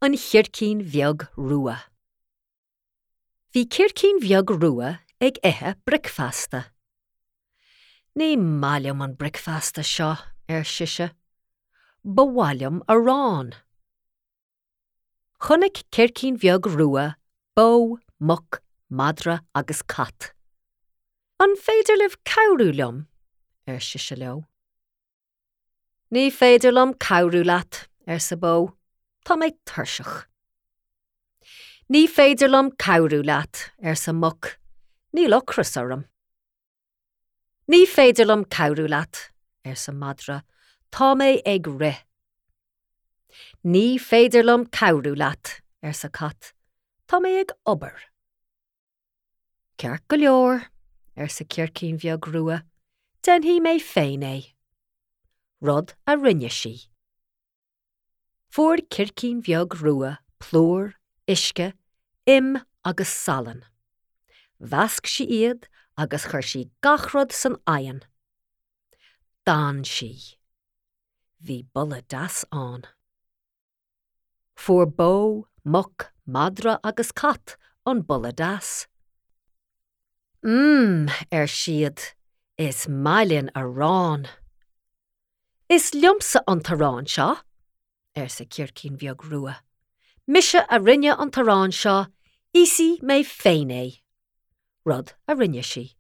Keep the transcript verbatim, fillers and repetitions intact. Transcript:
An Chircín Bheag Rua. Bhí Circín Bheag Rua ag ithe bricfeasta. Ní maith liom an bricfeasta seo, ar sise. Ba mhaith liom arán. Chonaic Circín Bheag Rua bó, muc, madra agus cat. An féidir libh cabhrú liom, ar sise leo. Ní féidir liom cabhrú leat, arsa bó, Tá mé tuirseach. Ní féidir liom cabhrú leat, arsa muc, níl ocras orm. Ní féidir liom cabhrú leat, arsa madra, tá mé ag rith. Ní féidir liom cabhrú leat, arsa cat, tá mé ag obair. Ceart go leor, arsa Circín Bheag Rua, déanfaidh mé féin é. Rud a rinne sí. Fuair Circín Bheag Rua plúr, uisce, im agus salann. Mheasc sí iad agus chuir sí gach rud san oigheann. D'fhan sí. Bhí boladh deas ann. Fuair bó, muc, madra agus cat an boladh deas. Mmm, ar siad, is maith linn arán. Is liomsa an t-arán seo, arsa Circín Bheag Rua. Mise a rinne an t-arán seo, íosfaidh mé féin é. Rud a rinne sí.